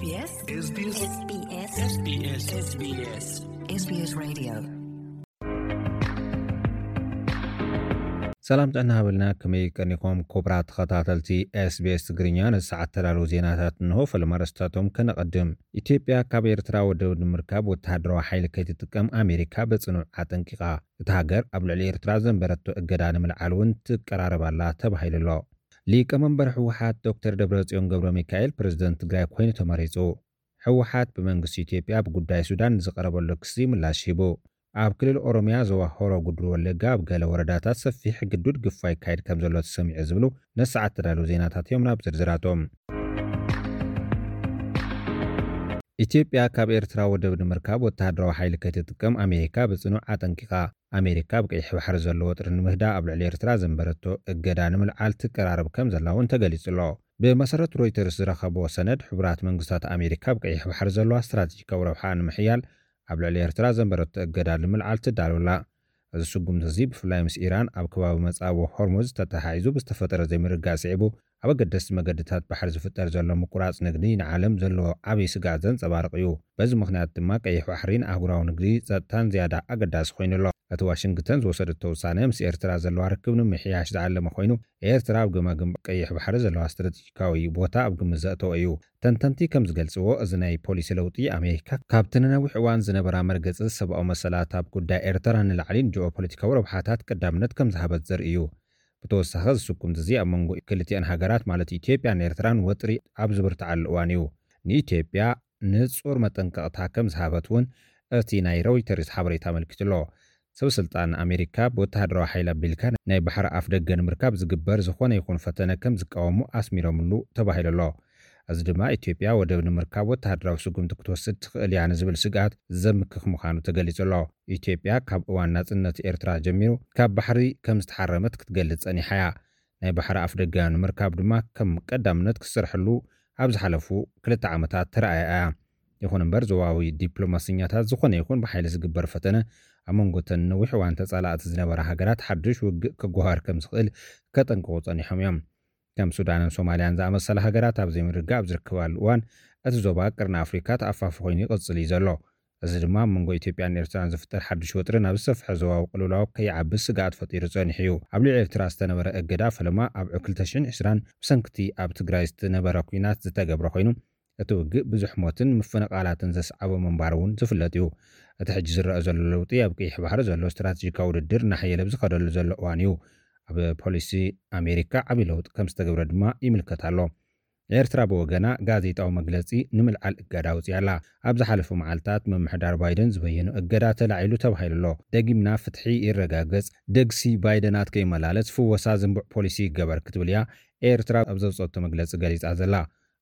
SBS SBS SBS SBS Radio ሰላም ጥዕና ሃበልና። ከመይ ቀኒኹም ክቡራት ተኸታተልቲ SBS ትግርኛ? ነዚ ሰዓት ተዳለዉ ዜናታት እንሆ። ፈለማ ኣርእስታቶም ከነቐድም። ኢትዮጵያ ካብ ኤርትራ ወደብ ንምርካብ ወተሃደራዊ ሓይሊ ከይትጥቀም ኣሜሪካ ብጽኑዕ ኣጠንቂቓ። እታ ሃገር ኣብ ልዕሊ ኤርትራ ዘንበረቶ እገዳ ንምልዓል እውን ትቀራረብ ኣላ ተባሂሉ ኣሎ። ሊቀመንበር ህወሓት ዶክተር ደብረጽዮን ገብረ ሚካኤል ፕሬዝደንት ትግራይ ኮይኑ ተመሪጹ። ህወሓት ብመንግስቲ ኢትዮጵያ ኣብ ጉዳይ ሱዳን ንዝቐረበሉ ክሲ ምላሽ ሂቡ። ኣብ ክልል ኦሮሚያ ዞባ ሆሮ ጉድሩ ወለጋ ኣብ ገለ ወረዳታት ሰፊሕ ግዱድ ግፋ ይካየድ ከም ዘሎ ተሰሚዑ ዝብሉ ነሰዓት ተዳለዉ ዜናታት እዮም። ናብ ዝርዝራቶም። ኢትዮጵያ ካብ ኤርትራ ወደብ ንምርካብ ወተሃደራዊ ሓይሊ ከይትጥቀም ኣሜሪካ ብጽኑዕ ኣጠንቂቓ። ኣሜሪካ ኣብ ቀይሕ ባሕሪ ዘሎ ወጥሪ ንምህዳእ ኣብ ልዕሊ ኤርትራ ዘንበረቶ እገዳ ንምልዓል ትቀራረብ ከም ዘላ እውን ተገሊጹ ኣሎ። ብመሰረት ሮይተርስ ዝረኸብዎ ሰነድ፣ ሕቡራት መንግስታት ኣሜሪካ ኣብ ቀይሕ ባሕሪ ዘለዋ ስትራቴጂካዊ ረብሓ ንምሕያል ኣብ ልዕሊ ኤርትራ ዘንበረቶ እገዳ ንምልዓል ትዳሎ ኣላ። እዚ ስጉምቲ እዚ ብፍላይ ምስ ኢራን ኣብ ከባቢ መጻብቦ ሆርሙዝ ተተሓሒዙ ብዝተፈጠረ ዘይምርግጋእ ስዒቡ ኣብ ኣገደስቲ መገድታት ባሕሪ ዝፍጠር ዘሎ ምቁራጽ ንግዲ ንዓለም ዘለዎ ዓብዪ ስግኣት ዘንጸባርቕ እዩ። በዚ ምኽንያት ድማ ቀይሕ ባሕሪ ንኣህጉራዊ ንግዲ ጸጥታን ዝያዳ ኣገዳሲ ኮይኑ ኣሎ። እቲ ዋሽንግተን ዝወሰደቶ ውሳነ ምስ ኤርትራ ዘለዋ ርክብ ንምሕያሽ ዝዓለመ ኮይኑ፣ ኤርትራ ኣብ ገማግም ቀይሕ ባሕሪ ዘለዋ ስትራቴጂካዊ ቦታ ኣብ ግምት ዘእተወ እዩ። ተንተንቲ ከም ዝገልጽዎ፣ እዚ ናይ ፖሊሲ ለውጢ ኣሜሪካ ካብቲ ንነዊሕ እዋን ዝነበራ መርገጺ ሰብኣዊ መሰላት ኣብ ጉዳይ ኤርትራ ንላዕሊን ጂኦፖለቲካዊ ረብሓታት ቀዳምነት ከም ዝሃበት ዘርኢ እዩ። ብተወሳኺ፣ እዚ ስጉምቲ እዚ ኣብ መንጎ ክልቲኣን ሃገራት ማለት ኢትዮጵያን ኤርትራን ወጥሪ ኣብ ዝብርትዓሉ እዋን እዩ። ንኢትዮጵያ ንጹር መጠንቀቕታ ከም ዝሃበት እውን እቲ ናይ ሮይተርስ ሓበሬታ ኣመልኪቱ ኣሎ። ሰብ ስልጣን ኣሜሪካ ብወተሃደራዊ ሓይሊ ኣቢልካ ናይ ባሕሪ ኣፍ ደገ ንምርካብ ዝግበር ዝኾነ ይኹን ፈተነ ከም ዝቃወሙ ኣስሚሮምሉ ተባሂሉ ኣሎ። እዚ ድማ ኢትዮጵያ ወደብ ንምርካብ ወተሃደራዊ ስጉምቲ ክትወስድ ትኽእል እያ ንዝብል ስግኣት ዘምክኽ ምዃኑ ተገሊጹ ኣሎ። ኢትዮጵያ ካብ እዋን ናጽነት ኤርትራ ጀሚሩ ካብ ባሕሪ ከም ዝተሓረመት ክትገልጽ ጸኒሓ እያ። ናይ ባሕሪ ኣፍ ደገ ንምርካብ ድማ ከም ቀዳምነት ክትሰርሐሉ ኣብ ዝሓለፉ ክልተ ዓመታት ተራእያ እያ። ይኹን እምበር፣ ዞባዊ ዲፕሎማሰኛታት ዝኾነ ይኹን ብሓይሊ ዝግበር ፈተነ ኣብ መንጎ እተን ነዊሕ እዋን ተጻላእቲ ዝነበራ ሃገራት ሓድሽ ውግእ ከጓሃር ከም ዝኽእል ከጠንቅቑ ጸኒሖም እዮም። ከም ሱዳንን ሶማልያን ዝኣመሰላ ሃገራት ኣብ ዘይምርግጋእ ኣብ ዝርከባሉ እዋን፣ እቲ ዞባ ቀርኒ ኣፍሪካ ተኣፋፊ ኮይኑ ይቕጽል እዩ ዘሎ። እዚ ድማ ኣብ መንጎ ኢትዮጵያን ኤርትራን ዝፍጠር ሓድሽ ወጥሪ ናብ ዝሰፍሐ ዞባዊ ቅልውላው ከይዓቢ ስግኣት ፈጢሩ ጸኒሑ እዩ። ኣብ ልዕሊ ኤርትራ ዝተነበረ እገዳ ፈለማ ኣብ ክልተ ሽሕን ዕስራን ብሰንክቲ ኣብ ትግራይ ዝተነበረ ኲናት ዝተገብረ ኮይኑ፣ እቲ ውግእ ብዙሕ ሞትን ምፍንቓላትን ዘስዓቦ ምንባሩ እውን ዝፍለጥ እዩ። እቲ ሕጂ ዝረአ ዘሎ ለውጢ ኣብ ቀይሕ ባሕሪ ዘሎ ስትራቴጂካዊ ውድድር እናሓየለ ብዝኸደሉ ዘሎ እዋን እዩ። ኣብ ፖሊሲ ኣሜሪካ ዓብዪ ለውጢ ከም ዝተገብረ ድማ ይምልከት ኣሎ። ኤርትራ ብወገና ጋዜጣዊ መግለጺ ንምልዓል እገዳ ኣውጺኣ ኣላ። ኣብ ዝሓለፉ መዓልታት ምምሕዳር ባይደን ዝበየኖ እገዳ ተላዒሉ ተባሂሉ ኣሎ። ደጊምና ፍትሒ ይረጋገጽ፣ ደግሲ ባይደናት ከይመላለስ፣ ፍወሳ ዝንቡዕ ፖሊሲ ይገበር ክትብል እያ ኤርትራ ኣብ ዘውጸቶ መግለጺ ገሊጻ ዘላ።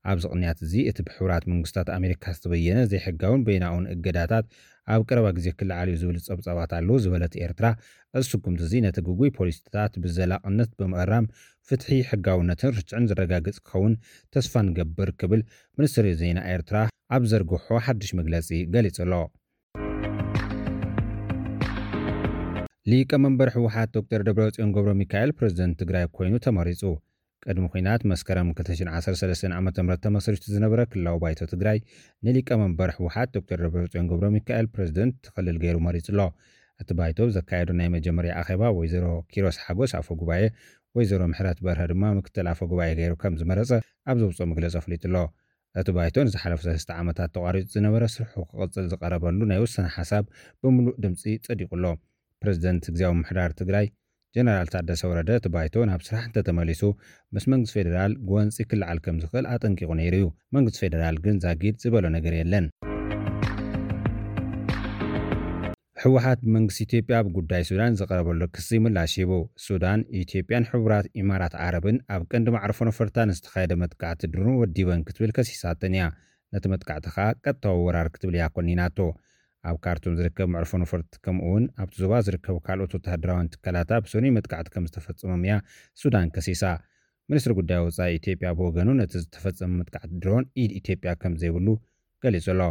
ኣብዚ ቅንያት እዚ፣ እቲ ብሕቡራት መንግስታት ኣሜሪካ ዝተበየነ ዘይሕጋውን በይናውን እገዳታት ኣብ ቀረባ ግዜ ክለዓል እዩ ዝብል ጸብጻባት ኣለዉ ዝበለት ኤርትራ፣ እዚ ስጉምቲ እዚ ነቲ ግጉይ ፖሊሲታት ብዘላቕነት ብምእራም ፍትሒ፣ ሕጋውነትን ርትዕን ዘረጋግጽ ክኸውን ተስፋ ንገብር ክብል ሚኒስትሪ ዜና ኤርትራ ኣብ ዘርግሖ ሓድሽ መግለጺ ገሊጹ ኣሎ። ሊቀመንበር ህወሓት ዶክተር ደብረጽዮን ገብረ ሚካኤል ፕሬዝደንት ትግራይ ኮይኑ ተመሪጹ። ቅድሚ ኲናት መስከረም ክልተ ሽሕን ዓሰርተ ሰለስተን ዓመተ ምህረት ተመስሪቱ ዝነበረ ክልላዊ ባይቶ ትግራይ ንሊቀመንበር ህወሓት ዶክተር ደብረጽዮን ገብረ ሚካኤል ፕሬዝደንት ክልል ገይሩ መሪጹ ኣሎ። እቲ ባይቶ ኣብ ዘካየዶ ናይ መጀመርያ ኣኼባ ወይዘሮ ኪሮስ ሓጎስ ኣፈ ጉባኤ፣ ወይዘሮ ምሕረት በርሀ ድማ ምክትል ኣፈ ጉባኤ ገይሩ ከም ዝመረጸ ኣብ ዘውፅኦ መግለጺ ኣፍሊጡ ኣሎ። እቲ ባይቶ ንዝሓለፉ ሰለስተ ዓመታት ተቋሪጹ ዝነበረ ስርሑ ክቕጽል ዝቐረበሉ ናይ ውሳነ ሓሳብ ብምሉእ ድምጺ ጸዲቑ ኣሎ። ፕሬዝደንት ግዝያዊ ምምሕዳር ትግራይ ጀነራል ታደሰ ወረደ እቲ ባይቶ ናብ ስራሕ እንተተመሊሱ ምስ መንግስቲ ፌዴራል ጎንፂ ክለዓል ከም ዝኽእል ኣጠንቂቑ ነይሩ እዩ። መንግስቲ ፌዴራል ግን ዛጊድ ዝበሎ ነገር የለን። ህወሓት ብመንግስቲ ኢትዮጵያ ኣብ ጉዳይ ሱዳን ዝቐረበሉ ክሲ ምላሽ ሂቡ። ሱዳን፣ ኢትዮጵያን ሕቡራት ኢማራት ዓረብን ኣብ ቀንዲ መዕርፎ ነፈርታ ንዝተኻየደ መጥቃዕቲ ድሮን ወዲበን ክትብል ከሲሳተን እያ። ነቲ መጥቃዕቲ ከኣ ቀጥታዊ ወራር ክትብል እያ ኮኒናቶ። ኣብ ካርቱም ዝርከብ መዕርፎ ነፈርቲ ከምኡ እውን ኣብቲ ዞባ ዝርከቡ ካልኦት ወተሃደራውያን ትካላታ ብሰኑይ መጥቃዕቲ ከም ዝተፈጸሞም እያ ሱዳን ከሲሳ። ሚኒስትሪ ጉዳይ ወጻኢ ኢትዮጵያ ብወገኑ ነቲ ዝተፈጸመ መጥቃዕቲ ድሮን ኢድ ኢትዮጵያ ከም ዘይብሉ ገሊጹ ኣሎ።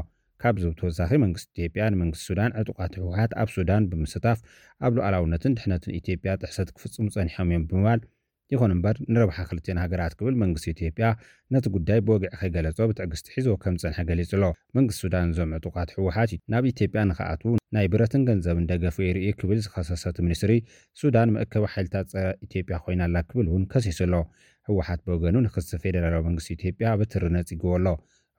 ካብዚ ብተወሳኺ መንግስቲ ኢትዮጵያ ንመንግስቲ ሱዳን ዕጡቓት ህወሓት ኣብ ሱዳን ብምስታፍ ኣብ ሉዓላውነትን ድሕነትን ኢትዮጵያ ጥሕሰት ክፍጽሙ ጸኒሖም እዮም ብምባል ይኹን እምበር ንረብሓ ክልቲኦን ሃገራት ክብል መንግስቲ ኢትዮጵያ ነቲ ጉዳይ ብወግዒ ከይገለጾ ብትዕግስቲ ሒዝዎ ከም ዝጸንሐ ገሊጹ ኣሎ። መንግስቲ ሱዳን እዞም ዕጡቓት ህወሓት ናብ ኢትዮጵያ ንኽኣትዉ ናይ ብረትን ገንዘብን ደገፍ የርኢ ክብል ዝኸሰሰ እቲ ሚኒስትሪ፣ ሱዳን መእከቢ ሓይልታት ጸረ ኢትዮጵያ ኮይና ኣላ ክብል እውን ከሲሱ ኣሎ። ህወሓት ብወገኑ ንክሲ ፌደራላዊ መንግስቲ ኢትዮጵያ ብትሪ ነጺግዎ ኣሎ።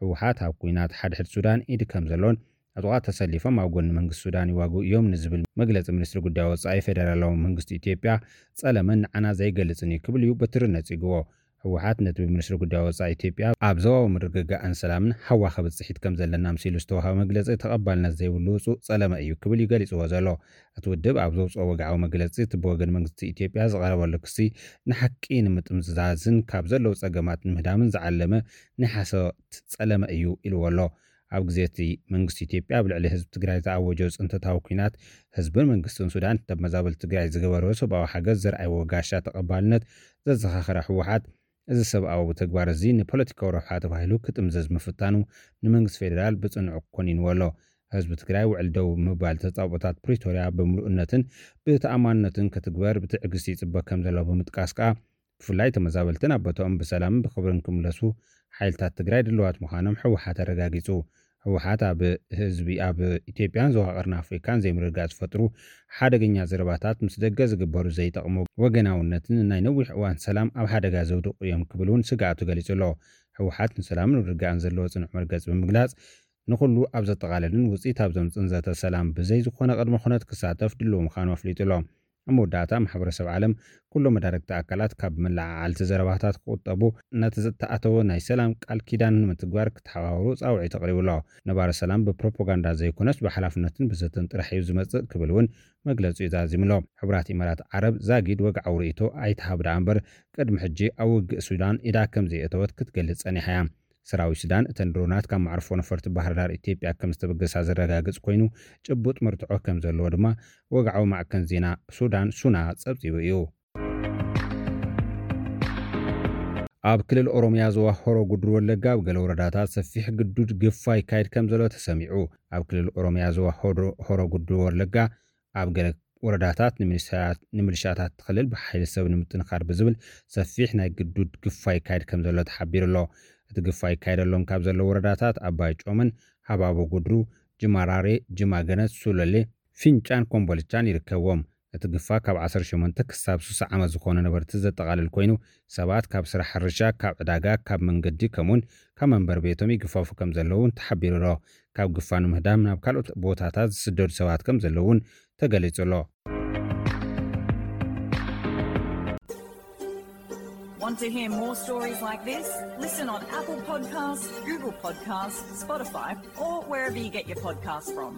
ህወሓት ኣብ ኲናት ሓድሕድ ሱዳን ኢድ ከም ዘሎን ዕጡቓት ተሰሊፎም ኣብ ጎኒ መንግስቲ ሱዳን ይዋግኡ እዮም ንዝብል መግለጺ ሚኒስትሪ ጉዳይ ወጻኢ ፌደራላዊ መንግስቲ ኢትዮጵያ ጸለመን ንዓና ዘይገልጽን እዩ ክብል እዩ ብትሪ ነጺግዎ። ህወሓት ነቲ ብሚኒስትሪ ጉዳይ ወጻኢ ኢትዮጵያ ኣብ ዞባዊ ምርግጋእን ሰላምን ሃዋ ከብጽሒት ከም ዘለና ምሲሉ ዝተዋህበ መግለጺ ተቐባልነት ዘይብሉ ውጹእ ጸለመ እዩ ክብል እዩ ገሊጽዎ ዘሎ። እቲ ውድብ ኣብ ዘውጽኦ ወግዓዊ መግለጺ፣ እቲ ብወገን መንግስቲ ኢትዮጵያ ዝቐረበሉ ክሲ ንሓቂ ንምጥምዛዝን ካብ ዘለዉ ጸገማት ንምህዳምን ዝዓለመ ናይ ሓሶት ጸለመ እዩ ኢልዎ ኣሎ። ኣብ ግዜ እቲ መንግስቲ ኢትዮጵያ ኣብ ልዕሊ ህዝቢ ትግራይ ዝኣወጆ ጽንተታዊ ኲናት፣ ህዝብን መንግስትን ሱዳን ተመዛበልቲ ትግራይ ዝገበርዎ ሰብኣዊ ሓገዝ ዘርኣይዎ ጋሻ ተቐባልነት ዘዘኻኸረ ህወሓት፣ እዚ ሰብኣዊ ተግባር እዚ ንፖለቲካዊ ረብሓ ተባሂሉ ክጥምዘዝ ምፍታኑ ንመንግስቲ ፌደራል ብጽኑዕ ኮኒንዎ ኣሎ። ህዝቢ ትግራይ ውዕል ደው ምባል ተጻብኦታት ፕሪቶርያ ብምሉእነትን ብተኣማንነትን ክትግበር ብትዕግስቲ ይጽበ ከም ዘሎ ብምጥቃስ ከኣ፣ ብፍላይ ተመዛበልትን ኣብ ቦታኦም ብሰላምን ብኽብርን ክምለሱ ሓይልታት ትግራይ ድልዋት ምዃኖም ህወሓት ኣረጋጊጹ። ህወሓት ኣብ ህዝቢ ኣብ ኢትዮጵያን ዞባ ቀርኒ ኣፍሪካን ዘይምርግጋእ ዝፈጥሩ ሓደገኛ ዘረባታት፣ ምስ ደገ ዝግበሩ ዘይጠቕሙ ወገናውነትን ናይ ነዊሕ እዋን ሰላም ኣብ ሓደጋ ዘውድቑ እዮም ክብል እውን ስግኣቱ ገሊጹ ኣሎ። ህወሓት ንሰላምን ምርግጋእን ዘለዎ ጽኑዕ መርገጺ ብምግላጽ፣ ንኹሉ ኣብ ዘጠቓለልን ውጽኢት ኣብ ዘምጽእን ዘተ ሰላም ብዘይ ዝኾነ ቅድመ ኩነት ክሳተፍ ድሉው ምዃኑ ኣፍሊጡ ኣሎ። ኣብ መወዳእታ፣ ማሕበረሰብ ዓለም፣ ኩሎም መዳርግቲ ኣካላት ካብ መለዓዓልቲ ዘረባታት ክቑጠቡ፣ ነቲ ዝተኣተወ ናይ ሰላም ቃል ኪዳን ንምትግባር ክተሓባበሩ ጻውዒት ኣቕሪቡ ኣሎ። ነባሪ ሰላም ብፕሮፓጋንዳ ዘይኮነስ ብሓላፍነትን ብዘተን ጥራሕ እዩ ዝመጽእ ክብል እውን መግለጺኡ ዛዚሙ ኣሎ። ሕቡራት ኢማራት ዓረብ ዛጊድ ወግዓዊ ርእይቶ ኣይትሃብ ደኣ እምበር፣ ቅድሚ ሕጂ ኣብ ውግእ ሱዳን ኢዳ ከም ዘየእተወት ክትገልጽ ጸኒሓ እያ። ሰራዊት ሱዳን እተን ድሮናት ካብ መዕርፎ ነፈርቲ ባህር ዳር ኢትዮጵያ ከም ዝተበገሳ ዘረጋግጽ ኮይኑ፣ ጭቡጥ መርትዖ ከም ዘለዎ ድማ ወግዓዊ ማዕከን ዜና ሱዳን ሱና ጸብጺቡ እዩ። ኣብ ክልል ኦሮሚያ ዞባ ሆሮ ጉድሩ ወለጋ ኣብ ገለ ወረዳታት ሰፊሕ ግዱድ ግፋ ይካየድ ከም ዘሎ ተሰሚዑ። ኣብ ክልል ኦሮሚያ ዞባ ሆሮ ጉድሩ ወለጋ ኣብ ገለ ወረዳታት ንምልሻታት ክልል ብሓይሊ ሰብ ንምጥንኻር ብዝብል ሰፊሕ ናይ ግዱድ ግፋ ይካየድ ከም ዘሎ ተሓቢሩ ኣሎ። እቲ ግፋ ይካየደሎም ካብ ዘሎ ወረዳታት ኣባይ ጮመን፣ ሃባቦ ጉድሩ፣ ጅማራሬ፣ ጅማገነት፣ ሱለሌ፣ ፊንጫን ኮምቦልቻን ይርከብዎም። እቲ ግፋ ካብ ዓሰርተ ሸሞንተ ክሳብ ስሳ ዓመት ዝኾኑ ነበርቲ ዘጠቓልል ኮይኑ፣ ሰባት ካብ ስራሕ ሕርሻ፣ ካብ ዕዳጋ፣ ካብ መንገዲ ከምኡውን ካብ መንበሪ ቤቶም ይግፈፉ ከም ዘለዉ እውን ተሓቢሩ ኣሎ። ካብ ግፋ ንምህዳም ናብ ካልኦት ቦታታት ዝስደዱ ሰባት ከም ዘለዉ እውን ተገሊጹ ኣሎ። Want to hear more stories like this? Listen on Apple Podcasts, Google Podcasts, Spotify, or wherever you get your podcasts from.